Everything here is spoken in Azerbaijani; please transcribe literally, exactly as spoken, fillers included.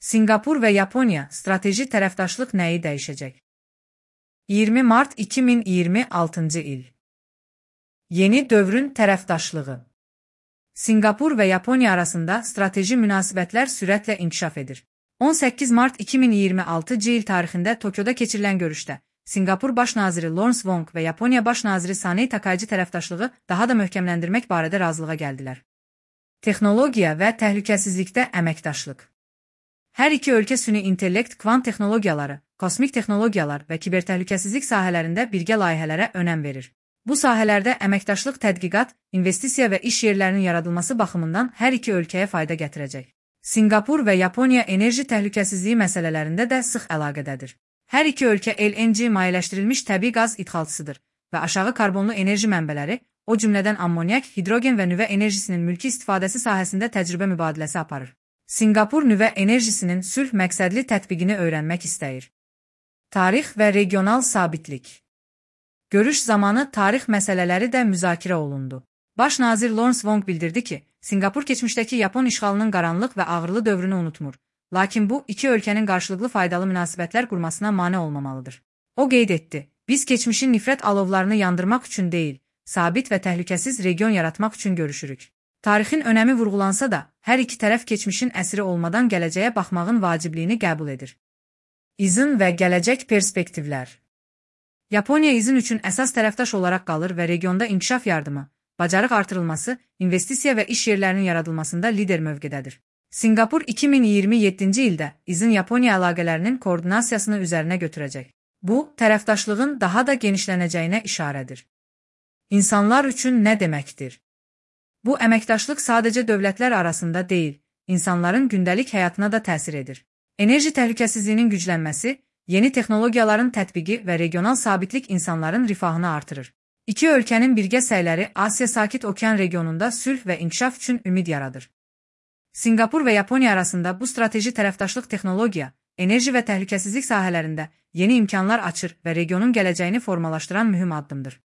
Sinqapur və Yaponiya strateji tərəfdaşlıq nəyi dəyişəcək? iyirmi mart iki min iyirmi altıncı il. Yeni dövrün tərəfdaşlığı. Sinqapur və Yaponiya arasında strateji münasibətlər sürətlə inkişaf edir. on səkkiz mart iki min iyirmi altıncı il tarixində Tokyoda keçirilən görüşdə Sinqapur Baş naziri Lawrence Wong və Yaponiya Baş naziri Sanae Takaichi tərəfdaşlığı daha da möhkəmləndirmək barədə razılığa gəldilər. Texnologiya və təhlükəsizlikdə əməkdaşlıq. Hər iki ölkə süni intellekt, kvant texnologiyaları, kosmik texnologiyalar və kibertəhlükəsizlik sahələrində birgə layihələrə önəm verir. Bu sahələrdə əməkdaşlıq tədqiqat, investisiya və iş yerlərinin yaradılması baxımından hər iki ölkəyə fayda gətirəcək. Sinqapur və Yaponiya enerji təhlükəsizliyi məsələlərində də sıx əlaqədədir. Hər iki ölkə L N G mayeləşdirilmiş təbii qaz idxalçısıdır və aşağı karbonlu enerji mənbələri, o cümlədən ammonyak, hidrogen və nüvə enerjisinin mülki istifadəsi sahəsində təcrübə mübadiləsi aparır. Sinqapur nüvə enerjisinin sülh məqsədli tətbiqini öyrənmək istəyir. Tarix və regional sabitlik. Görüş zamanı tarix məsələləri də müzakirə olundu. Baş nazir Lawrence Wong bildirdi ki, Sinqapur keçmişdəki Yapon işğalının qaranlıq və ağrılı dövrünü unutmur. Lakin bu, iki ölkənin qarşılıqlı faydalı münasibətlər qurmasına mane olmamalıdır. O qeyd etdi, biz keçmişin nifrət alovlarını yandırmaq üçün deyil, sabit və təhlükəsiz region yaratmaq üçün görüşürük. Tarixin önəmi vurğulansa da, hər iki tərəf keçmişin əsiri olmadan gələcəyə baxmağın vacibliyini qəbul edir. İzin və gələcək perspektivlər. Yaponiya izin üçün əsas tərəfdaş olaraq qalır və regionda inkişaf yardımı, bacarıq artırılması, investisiya və iş yerlərinin yaradılmasında lider mövqedədir. Sinqapur iki min iyirmi yeddinci ildə izin Yaponiya əlaqələrinin koordinasiyasını üzərinə götürəcək. Bu, tərəfdaşlığın daha da genişlənəcəyinə işarədir. İnsanlar üçün nə deməkdir? Bu əməkdaşlıq sadəcə dövlətlər arasında deyil, insanların gündəlik həyatına da təsir edir. Enerji təhlükəsizliyinin güclənməsi, yeni texnologiyaların tətbiqi və regional sabitlik insanların rifahını artırır. İki ölkənin birgə səyləri Asiya Sakit Okean regionunda sülh və inkişaf üçün ümid yaradır. Sinqapur və Yaponiya arasında bu strateji tərəfdaşlıq texnologiya, enerji və təhlükəsizlik sahələrində yeni imkanlar açır və regionun gələcəyini formalaşdıran mühüm addımdır.